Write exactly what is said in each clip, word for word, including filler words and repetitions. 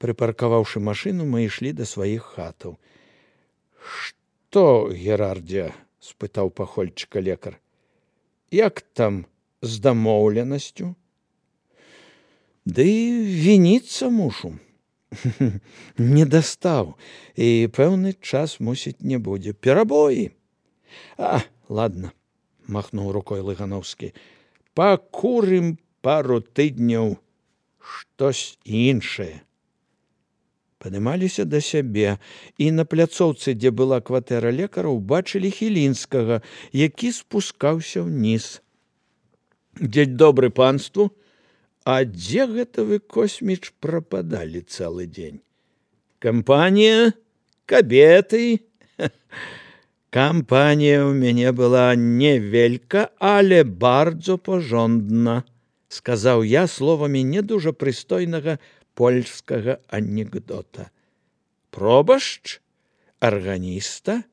Прыпаркаваўшы машыну, мы ішлі да сваіх хатаў. «Што, Герардзе?» – спытаў пахольчыка лекар. «Як там з дамоўленасцю?» «Ды вініцца мушу. Не дастаў, і пэўны час, мусіць, не будзе. Перабоі». «А, ладно», – махнуў рукой Лыгановскі. «Пакурым пару тыдняў штось іншае». Падымаліся да сябе, і на пляцоўцы, дзе была кватэра лекара, убачылі Хілінскага, які спускаўся ўніз. «Дзень добры панству, а дзе гэта вы, Косміч, прападалі цэлы дзень? Кампанія, кабеты?» «Кампанія ў мяне была невелька, але бардзо пажондна», – сказаў я словамі не дужа прыстойнага польскага анекдота. «Пробашч? Арганіста?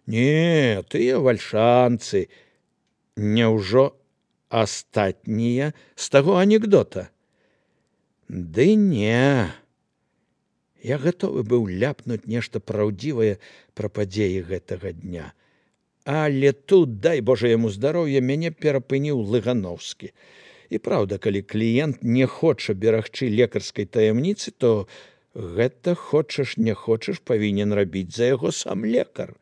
Не, тыя вальшанцы. Няўжо астатнія з таго анекдота?» «Ды не». Я гатовы быў ляпнуць нешта праўдзівае пра падзеі гэтага дня. Але тут, дай Божа яму здароўя, мяне перапыніў Лыгановскі. І праўда, калі кліент не хоча берагчы лекарскай таямніцы, то гэта, хочаш не хочаш, павінен рабіць за яго сам лекар,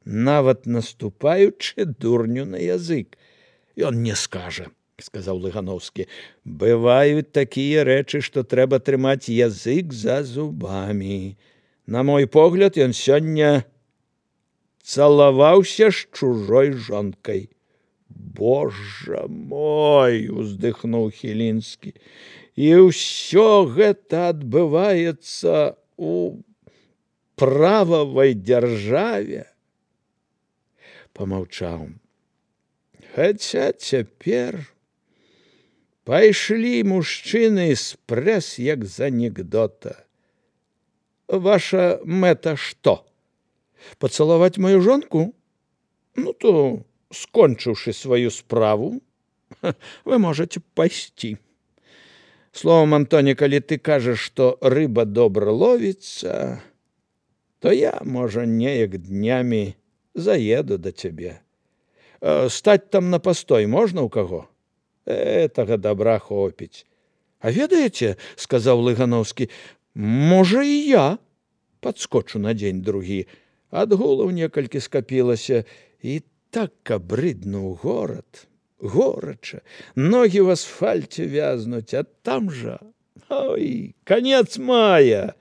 нават наступаючы дурню на язык. «Ён не скажа», – сказаў Лыгановскі. «Бываюць такія рэчы, што трэба трымаць язык за зубамі. На мой погляд, ён сёння цалаваўся з чужой жонкай». «Божа мой!» – уздыхнуў Хілінскі. «І ўсё гэта адбываецца у прававай дзяржаве?» Памаўчаў. «Хаця цяпер пайшлі мужчыны з прэс, як з анекдота. Ваша мэта што? Пацалаваць маю жонку? Ну, то, скончыўшы сваю справу, вы можаце пайсці. Словом, Антоні, калі ты кажаш, што рыба добра ловіцца, то я, можа, неяк днямі заеду да цябе. Стаць там на пастой можна ў каго? Гэтага добра хопіць». «А ведаеце, – сказаў Лыгановскі, – можа, і я падскочу на дзень другі. Адгулаў некалькі скапілася, і так абрыдна ў горад, горача, ногі ў асфальце вязнуць, а там жа, ой, канец мая».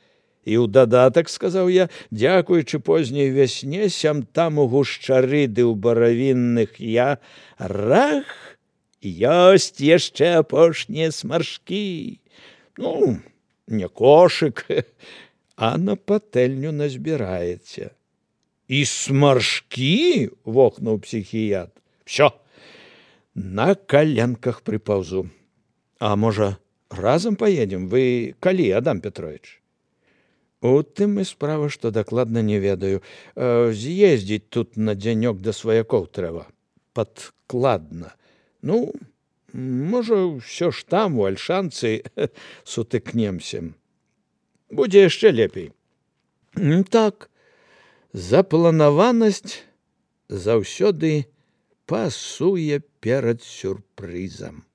І ў дадатак, сказаў я, дзякуючы позняй вясне, сям там у гушчары ды ў баравінных я, рах, ёсць яшчэ апошнія смаршкі. Ну, не кошык, а на патэльню назбіраеце. «І смаршкі?» – вохнуў псіхіятр. «Всё, на каленках прыпаўзу. А можа, разам паедзем? Вы калі, Адам Петрович?» «У тым і справа, што дакладна не ведаю. З'ездзіць тут на дзянёк да сваякоў трэба. Падкладна. Ну, можа, ўсё ж там, у Альшанцы, сутыкнемся. Будзе яшчэ лепей». «Так, запланаванасць заўсёды пасуе перад сюрпрызам».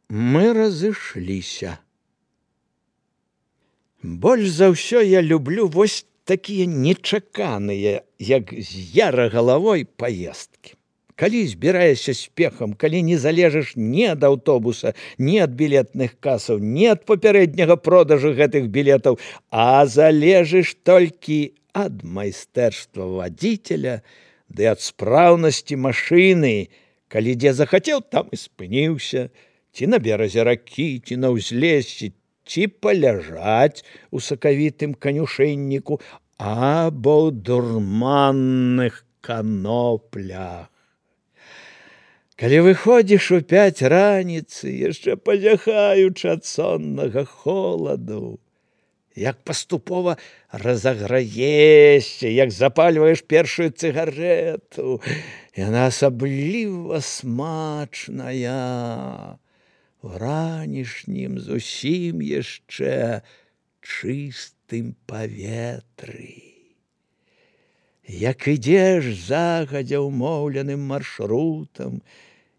Мы разышліся. Больш за ўсё я люблю вось такія нечаканыя, як з яра галавой, паездкі. Калі збіраешся спехам, калі не залежыш ні ад аўтобуса, ні ад білетных касаў, ні ад папярэдняга продажу гэтых білетаў, а залежыш толькі ад майстэрства вадзіцеля ды ад спраўнасці машыны, калі дзе захацеў, там і спыніўся, ці на беразе ракі, ці на ўзлессі, ці паляжаць у сакавітым канюшынніку, або ў дурманных каноплях. Калі выходзіш у пяць раніцы, яшчэ пазяхаючы ад соннага холаду, як паступова разаграешся, як запальваеш першую цыгарэту, яна асабліва смачная. У ранішнім зусім яшчэ чыстым паветры. Як ідзеш загадзя ўмоўленым маршрутам,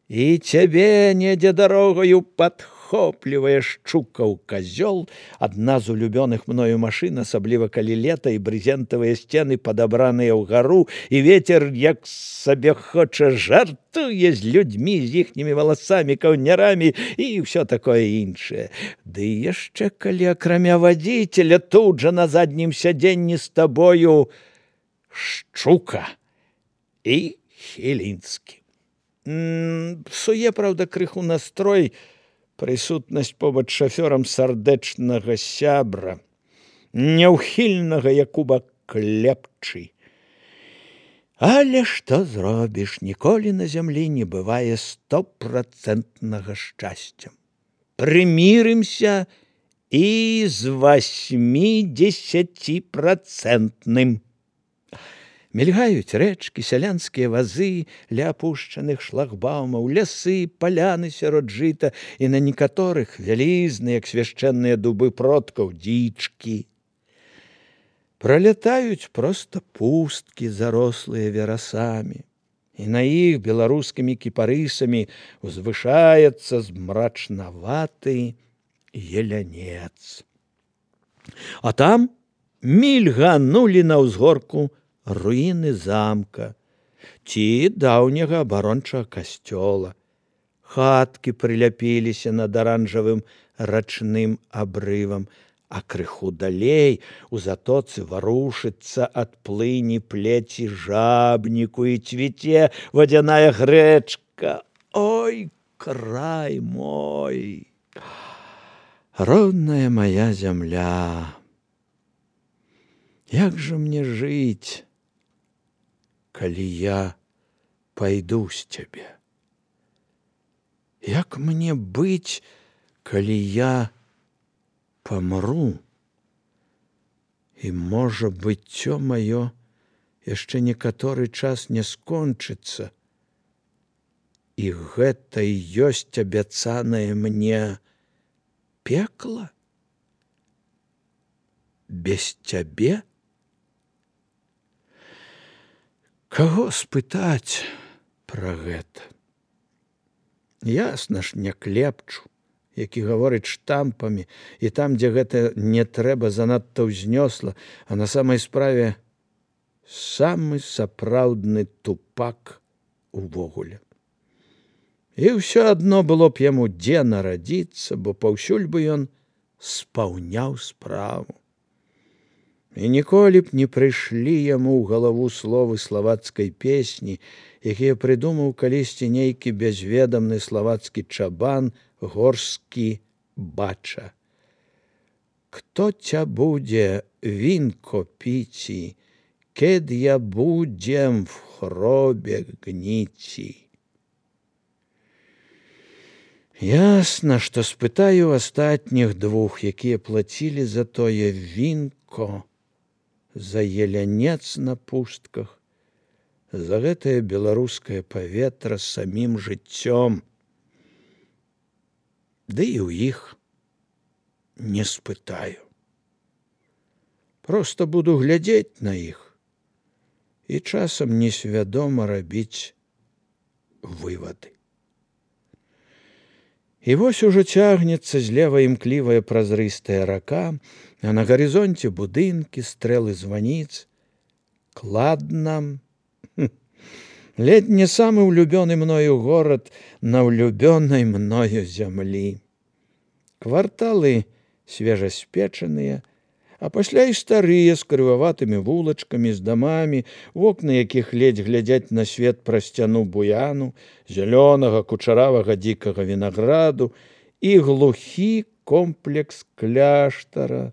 і цябе недзе дарогаю падхоплівае шчукаў казёл, адна з улюбёных мною машын, асабліва калі лета і брызентавыя сцены падабраныя ўгару, і вецер, як сабе хоча, жартуе з людзьмі, з іхнімі валасамі, каўнярамі і ўсё такое іншае. Ды яшчэ калі акрамя вадзіцеля тут жа на заднім сядзенні з табою Шчука і Хілінскі. Псуе, праўда, крыху настрой прысутнасць побач шафёрам сардэчнага сябра, няўхільнага Якуба Клепчы. Але што зробіш, ніколі на зямлі не бывае стопрацэнтнага шчасця. Прымірымся і з васьмідзесяціпрацэнтным. Мільгаюць рэчкі, сялянскія вазы ля апушчаных шлагбаумаў, лясы, паляны сярод жыта, і на некаторых вялізныя, як свяшчэнныя дубы продкаў, дзічкі. Пралятаюць проста пусткі, зарослыя верасамі, і на іх беларускімі кіпарысамі узвышаецца змрачнаваты елянец. А там мільганулі на ўзгорку руіны замка ці даўняга абарончага касцёла. Хаткі прыляпіліся над аранжавым рачным абрывам, а крыху далей у затоцы варушыцца ад плыні плеці жабніку і цвіце вадзяная грэчка. Ой, край мой! Родная моя зямля! Як жа мне жыць, калі я пайду з цябе? Як мне быць, калі я памру? І, можа, быццё маё яшчэ некаторы час не скончыцца, і гэта і ёсць абяцанае мне пекла? Без цябе? Каго спытаць пра гэта? Ясна ж, не Клепчу, які гаворыць штампамі, і там, дзе гэта не трэба занадта ўзнёсла, а на самай справе самы сапраўдны тупак увогуле. І ўсё адно было б яму дзе нарадзіцца, бо паўсюль бы ён спаўняў справу. І ніколі б не прыйшлі яму ў галаву словы славацкай песні, якія прыдумаў калісьці нейкі бязведамны славацкі чабан горскі бача. Кто ця будзе вінко піці, кед я будзем в хробе гніці. Ясна, што спытаю астатніх двух, якія плацілі за тое вінко, за елянец на пустках, за гэтае беларускае паветра самім жыццём. Ды і ў іх не спытаю. Проста буду глядзець на іх і часам несвядома рабіць вывады. І вось ужо цягнецца злева імклівая празрыстая рака, а на гарызонце будынкі, стрэлы званіц. Кладна. Ледь не самы улюбёны мною горад на улюбёнай мною зямлі. Кварталы свежаспечаныя, а пасля і старыя з крываватымі вулачкамі, з дамамі, вокны якіх ледзь глядзяць на свет праз сцяну буяну, зялёнага кучаравага дзікага вінаграду і глухі комплекс кляштара,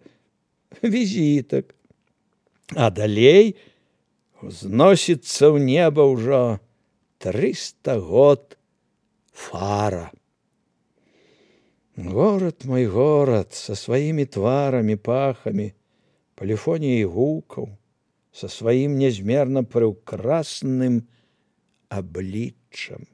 візітак. А далей узносіцца ў неба ўжо трыста год фара. Горад мой горад, са сваімі тварамі, пахамі, паліфоніяй гукаў, са сваім нязмерна прыўкрасным абліччам.